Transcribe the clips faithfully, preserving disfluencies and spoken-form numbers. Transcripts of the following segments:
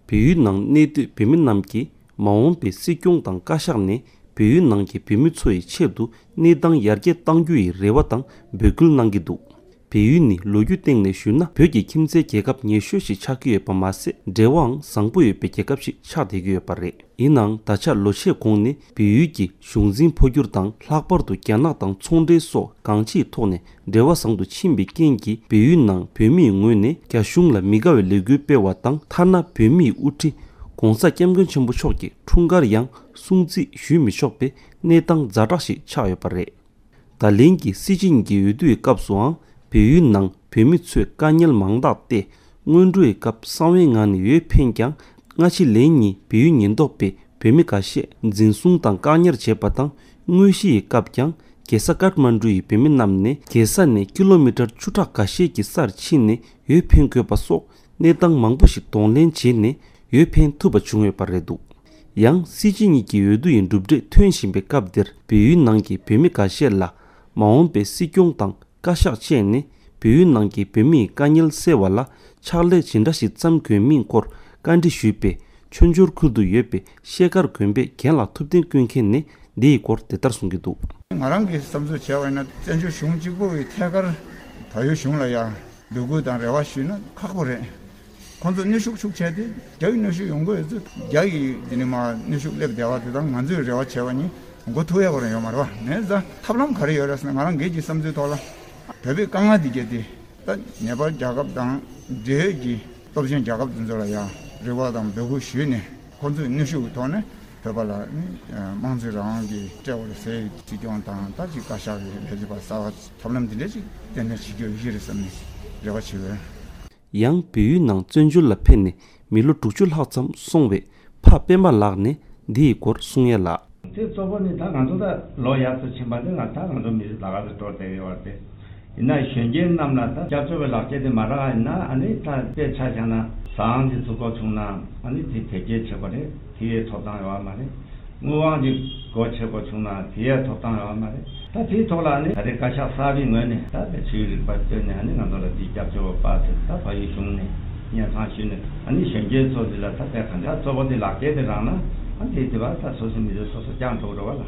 བལ་ཡུལ་ནང་གནས་སྡོད་བོད་མི་རྣམས་ཀྱིས་མ་འོངས་པའི་སྲིད་སྐྱོང་དང་བཀའ་ཤག་ནས་བལ་ཡུལ་ནང་གི་བོད་མི་ཚོ་ཡི་ཆེད་དུ་གནས་སྟངས་ཡར་རྒྱས་གཏང་རྒྱུ་ཡི་རེ་བ་དང་འབོད་སྐུལ་གནང་གི་འདུག་བལ་ཡུལ་ནི་ལོ་རྒྱུས་སྟེང་ནས་ཞུས་ན་བོད་ཀྱི་ཁྱིམ་མཚེས་རྒྱལ་ཁབ་ཉེ་ཤོས་ཤིག་ཆགས་ཀྱི་ཡོད་པ་མ་ཟད། འབྲེལ་བའང་བཟང་པོ་ཡོད་པའི་རྒྱལ་ཁབ་ཞིག་ཆགས་བསྡད་ཀྱི་ཡོད་པ་རེད། ཡིན་ནའང་ད་ཆ་ལོ་ཤས་གོང་ནས་བལ་ཡུལ་གྱི་གཞུང་འཛིན་འཕོ་འགྱུར་དང་། ལྷག་པར་དུ་རྒྱ་ནག་དང་ཚོང་འབྲེལ་སོགས་གང་ཅིའི་ཐོག་ནས་འབྲེལ་བ་བཟང་དུ་ཕྱིན་པའི་རྐྱེན་གྱིས། བལ་ཡུལ་ནང་བོད་མིའི་ངོས་ནས་རྒྱ་གཞུང་ལ་མི་དགའ་བའི་ལས་འགུལ་སྤེལ་བ་དང་། ཐ་ན་བོད་མིའི་དབུ་ཁྲིད་༧གོང་ས་༧སྐྱབས་མགོན་ཆེན་པོ་མཆོག་གི་འཁྲུངས་སྐར་ཡང་སྲུང་བརྩི་ཞུས་མི་ཆོག་པའི་གནས་སྟངས་ཛ་དྲག་ཞིག་ཆགས་ཡོད་པ་རེད། ད་ལན་གྱི་སྲིད་སྤྱི་གཉིས་ཀྱི་འོས་བསྡུ་ཡི་སྐབས་སུའང་བལ་ཡུལ་ནང་བོད་མི་ཚོས་དཀའ་ངལ་མང་དག་སྟེ། སྔོན་འགྲོའི་སྐབས་གསང་བའི་ངང་ནས་འོས་འཕེན་ཀྱང་། སྔ་ཕྱི་ལན་གཉིས་བལ་ཡུལ་ཉེན་རྟོག་པས་བོད་མི་འགའ་ཤས་འཛིན་བཟུང་དང་བཀག་ཉར་བྱས་པ་དང་། དངོས་གཞི་ཡི་སྐབས་ཀྱང་རྒྱལ་ས་ཀཏ་མན་གྲུ་ཡི་བོད་མི་རྣམས་ནས་རྒྱལ་ས་ནས་ཀི་ལོ་མི་ཊར་བཅུ་ཕྲག་འགའ་ཤས་ཀྱི་སར་ཕྱིན་ནས་འོས་འཕེན་དགོས་པ་སོགས་གནས་སྟངས་མང་པོ་ཞིག་གདོང་ལེན་བྱས་ནས་འོས་འཕེན་ཐུབ་པ་བྱུང་ཡོད་པ་རེད་འདུག་ཡང་སྲིད་སྤྱི་གཉིས་ཀྱི་འོས་བསྡུ་ཡི་གྲུབ་འབྲས་ཐོན་བཞིན་པའི་སྐབས་འདིར་བལ་ཡུལ་ནང་གི་བོད་མི་འགའ་ཤས་ལ་མ་འོངས་པའི་སྲིད་སྐྱོང་དང་བཀའ་ཤག་བཅས་ནས་བལ་ཡུལ་ནང་གི་བོད་མིའི་དཀའ་ངལ་སེལ་བ་ལ་ཕྱག་ལས་ཇི་འདྲ་ཞིག་བརྩམ་དགོས་མིན་སྐོར་བཀའ་འདྲི་ཞུས་པས། མཆོད་འཇོར་ཁུལ་དུ་ཡོད་པའི་ཤེལ་དཀར་དགོན་པའི་རྒན་ལགས་ཐུབ་བསྟན་ཀུན་མཁྱེན་ནས་འདི་ཡི་སྐོར་དེ་ལྟར་གསུང་གི་འདུག་ང་རང་གི་བསམ་ཚུལ་བྱས་པ་ཡིན་ན། བཙན་བྱོལ་གཞུང་གཅིག་པུ་ཡི་ཐད་ཀར་བལ་ཡུལ་གཞུང་ལ་ཡང་འབོད་སྐུལ་དང་རེ་བ་ཞུས་ན་ཁག་པོ་རེད། ཁོང་ཚོ་གནོན་ཤུགས་ཤུགས་ཆེ་སྟེ། རྒྱ་ཡི་གནོན་ཤུགས་ཡོང་གི་ཡོད་ཚུལ། རྒྱ་ཡི་འདི་ནས་མར་གནོན་ཤུགས་སླེབས་བསྡད་པ་དེ་དང་ང་ཚོས་རེ་བ་བྱས་པ་གཉིས་མགོ་ཐུག་ཡག་པོ་རང་ཡོད་མ་རེད་པ། ནས་ཙང་ཐབས་ལམ་ག་རེ་ཡོད་རེད་ཟེར་ན། ང་རང་སྒེར་གྱི་བསམ་ཚུལ་ཐོག་ལ་བོད་པའི་དཀའ་ངལ་འདི་གས་དེ་ད་ཉེ་བར་རྒྱལ་ཁབ་དང་འབྲེལ་ཡོད་ཀྱི་སྟོབས་ཆེན་རྒྱལ་ཁབ་དེ་ཚོ་ལ་ཡང་རེ་བ་དང་འབོད་སྐུལ་ཞུས་ནས། ཁོང་ཚོས་གནོན་ཤུགས་ཀྱི་ཐོག་ནས་བོད་པ་ལ་ནི་དམངས་གཙོའི་རང་དབང་གི་སྤྲད་དགོས་རེད་ཟེར། སྲིད་སྐྱོང་དང་ད་ཅིག་བཀའ་ཤག་གི་ལས་བྱེད་པ་གསར་པ་ཐབས་ལམ་འདི་འདྲ་ཅིག་གཏན་འཁེལ་བྱེད་རྒྱུ་ཡོད་ཀྱི་རེད་བསམ་ནས་རེ་བ་བྱེད་འོས། ཡང་བལ་ཡུལ་ནང་བཙན་བྱོལ་ལ་ཕེབས་ནས་མི་ལོ་དྲུག་ཅུ་ལྷག་ཙམ་སོང་བའི་ཕ་སྤེན་པ་ལགས་ནས་འདི་ཡི་སྐོར་གསུང་ཡ་ལ། དེ་གཙོ་བོ་ནི་ད་ང་ཚོ་ད་ལོ་ཡག་ཏུ་ཕྱིན་པ་ནི་ང་ད་ང་ཚོ་མི་རིགས་ལ་དགའ་ཏུ་སྤྲོ་བསྡད་ཡོད་པ་དེ། ཡིན་ན་གཞོན་སྐྱེས་རྣམས་ལ་ད་སྐྱབས་བཅོལ་བའི་ལག་སྐྱེས་དེ་མ་རག་ཡིན་ན། ཨ་ནི་ད་དཔེ་ཆ་བཞག་ན་ཟ་ཁང་ཅིག་བཙུགས་དགོས་བྱུང་ན་ཨ་ནི་དེ་དེབ་སྐྱེལ་བྱེད་དགོས་རེད། དེའི་ཐོབ་ཐང་ཡོད་པ་མ་རེད། དངུལ་དབང་གི་སྒོ་ཕྱེ་དགོས་བྱུང་ན་དེའི་ཐོབ་ཐང་ཡོད་པ་མ་རེད། ད་དེའི་ཐོག་ལ་ནི་ད་རེས་བཀའ་ཤག་གསར་པའི་ངོས་ནས་ད་ཆོས་རིག་པ་བཏོན་ནས་ཨ་ནི་ང་ཚོ་ལ་དེའི་སྐྱབས་བཅོལ་བ་པ་ཚོ་ད་བལ་ཡུལ་གཞུང་ནས་སྙན་སེང་ཞུས་ནས། ཨ་ནི་གཞོན་སྐྱེས་ཚོ་འདི་ལ་ད་དེ་གང་ལྟར་གཙོ་བོ་དེ་ལག་སྐྱེས་དེ་རག་ན་ཨ་དེ་དེ་བ་ད་སོ་སོའི་མི་ཚེ་སོ་སོ་སྐྱོང་ཐུབ་འགྲོ་བ་ལ།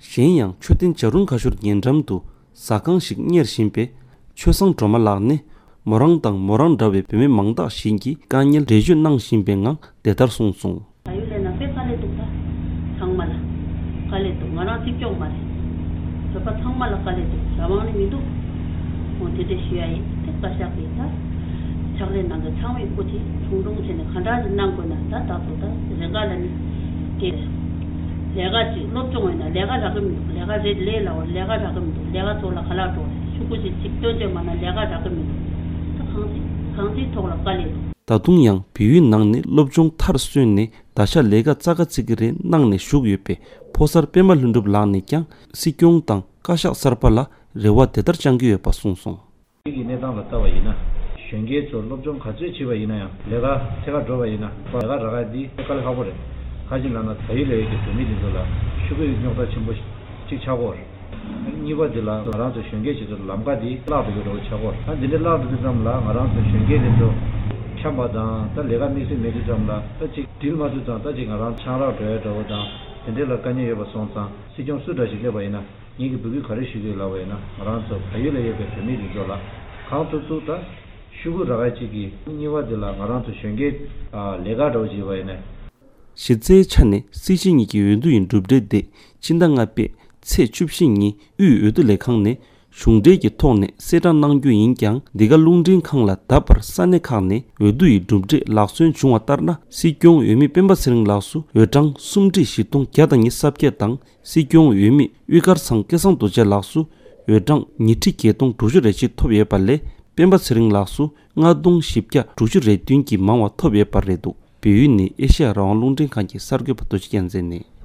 གཞན་ཡང་མཆོད་རྟེན་བྱ་རུང་ཁ་ཤོར་ཉེ་འགྲམ་དུ་ཟ་ཁང་ཞིག་གཉེར་བཞིན་པའི་ཆོས་བཟང་སྒྲོལ་མ་ལགས་ནས། མོ་རང་དང་མོ་རང་འདྲ་བའི་བུད་མེད་མང་དག་ཞིག་གི་དཀའ་ངལ་འགྲེལ་བརྗོད་གནང་བཞིན་པའི་ངང་དེ་ལྟར་གསུངས་སོང་། བལ་ཡུལ་ལ་ན་དཔེ་དཀའ་ལས་འདུག་ད་ཚང་མ་ལ་དཀའ་ལས་འདུག་ང་རང་གཅིག་རྐྱང་མ་རེད། བོད་པ་ཚང་མ་ལ་དཀའ་ལས་འདུག་རང་དབང་ནི་མི་འདུག་འོ་དེ་འདྲ་ཞུ་ཡ་ཡིན། དེ་བཀའ་ཤག་གིས་ད་ཕྱག་ལས་གནང་མཁན་ཚང་མས་སྐུ་མཁྱེན་ཆུང་ཆུང་བྱས་ནས་ག་འདྲ་ཞིག་གནང་དགོས་ན། ད་ད་དུ་ད་རེ་འགའ་ལ་ནི་དེ་ལས་ཀ་ཅིག་སློབ་སྦྱོང་ཡོད་ན་ལས་ཀ་རག་གི་མི་འདུག་ལས་ཀ་རེད་ལས་སླ་བོ་ལས་ཀ་རག་གི་མི་འདུག་ལས་ཀ་ཚོ་ལ་ག་ལ་འགྲོ་རེད། ཤོག་གུ་ཅིག་ཅིག་སྟོན་བྱས་མ་ན་ལས་ཀ་རག་གི་མི་འདུག་ད་གང་ཅི་གང་ཅིའི་ཐོག་ལ་དཀའ་ལས་འདུག་ད་དུང་ཡང་བལ་ཡུལ་ནང་ནས་སློབ་སྦྱོང་མཐར་སོན་ནས་ད་ཆ་ལས་ཀ་རྩ་ག་རྩི་གི་རེད་གནང་ནས་བཞུགས་ཡོད་པའི་ཕོ་གསར་སྤེན་པ་ལྷུན་གྲུབ་ལགས་ནས་ཀྱང་སྲིད་སྐྱོང་དང་བཀའ་ཤག་གསར་པ་ལ་རེ་བ་དེ་ལྟར་བཅང་གི་ཡོད་པ་གསུངས་སོང་། གི་གནས་སྟངས་ལ་ལྟ་བ་ཡིན་ན། གཞོན་སྐྱེས་ཚོ་སློབ་སྦྱོང་ག་ཚོད་བྱས་པ་ཡིན་ན་ཡང་། ལས་ཀ་ཐད་ཀར་འགྲོ་བ་ཡིན་ན། ལས་ཀ་རག་ཡ་འདི་དཀའ་ལས་ཁག་པོ་རེད། ག་ཅི་ལབ་ན་བལ་ཡུལ་ལ་ཡོད་ཀྱི་བོད་མི་འདི་ཚོ་ལ་ཤོག་གུའི་རྙོག་དྲ་ཆེན་པོ་གཅིག་ཆགས་ཀྱི་ཡོད་རེད། གཉིས་པ་འདི་ལ་ང་རང་ཚོ་གཞོན་སྐྱེས་ཚོ་ལམ་ཁ་འདི་བརླག་འགྲོ་གི་འདྲ་བོ་ཆགས་ཀྱི་ཡོད་རེད། ད་འདི་འདྲ་བརླག་འགྲོ་དུས་ཙམ་ལ་ང་རང་ཚོ་གཞོན་སྐྱེས་འདི་ཚོ་འཁྱམས་པ་དང་། ད་ལས་ཀ་དམིགས་བསལ་མེད་དུས་ཙམ་ལ་ད་ཅིག་འགྲིལ་མ་ཐུབ་ཙང་ད་ཅིག་ང་རང་ཆང་རག་འགྲོ་ཡ་འདྲ་བོ་དང་དེ་འདྲ་ལ་དཀའ་ངལ་ཡོད་པ་སོང་ཙང་། སྲིད་སྐྱོང་སུ་འདྲ་ཞིག་སླེབས་པ་ཡིན་ན། ངེད་ཀྱིས་འབོད་སྐུལ་ག་རེ་ཞུ་གི་ཡོད་ལབ་པ་ཡིན་ན། ང་རང་ཚོ་བལ་ཡུལ་ལ་ཡོད་པའི་བོད་མི་འདི་ཚོ་ལ་གང་ཐུབ་ཐུབ་ད་ཤོག་གུ་རག་ཡ་གཅིག་གིས། གཉིས་པ་འདི་ལ་ང་རང་ཚོ་གཞོན་སྐྱེས་ལས་ཀ་འདྲ་བོ་བྱས་པ་ཡིན་ན། གཞི་རྩའི་ཆ་ནས་སྲིད་སྤྱི་གཉིས་ཀྱི་འོས་བསྡུ་ཡི་གྲུབ་འབྲས་དེ་ཕྱི་ཟླ་ལྔ་པའི་ཚེས་བཅུ་བཞི་ཉིན་དབུས་འོས་བསྡུ་ལས་ཁང་ནས་གཞུང་འབྲེལ་གྱི་ཐོག་ནས་གསལ་བསྒྲགས་གནང་རྒྱུ་ཡིན་ཀྱང་། འདི་ག་རླུང་འཕྲིན་ཁང་ལ་ད་བར་ས་གནས་ཁག་ནས་འོས་བསྡུ་ཡི་གྲུབ་འབྲས་ལག་སོན་བྱུང་བ་ལྟར་ན། སྲིད་སྐྱོང་འོས་མི་སྤེན་པ་ཚེ་རིང་ལགས་སུ་འོས་གྲངས་སུམ་ཁྲི་བཞི་སྟོང་བརྒྱ་དང་ཉི་ཤུ་རྩ་བརྒྱད་དང་། སྲིད་སྐྱོང་འོས་མི་དབུ་དཀར་ཚང་སྐལ་བཟང་རྡོ་རྗེ་ལགས་སུ་འོས་གྲངས་ཉི་ཁྲི་བརྒྱད་སྟོང་དྲུག་ཅུ་རེ་གཅིག་ཐོབ་ཡོད་པ་ལས། སྤེན་པ་ཚེ་རིང་ལགས་སུ་ལྔ་སྟོང་བཞི་བརྒྱ་དྲུག་ཅུ་རེ་བདུན་གྱིས་མང་བ་ཐོབ་ཡོད་པ་རེད་འདུག་བལ་ཡུལ་ནས་ཨེ་ཤེ་ཡ་རང་དབང་རླུང་འཕྲིན་ཁང་གི་གསར་འགོད་པ་རྡོ་རྗེ་རྒྱལ་མཚན་ནས།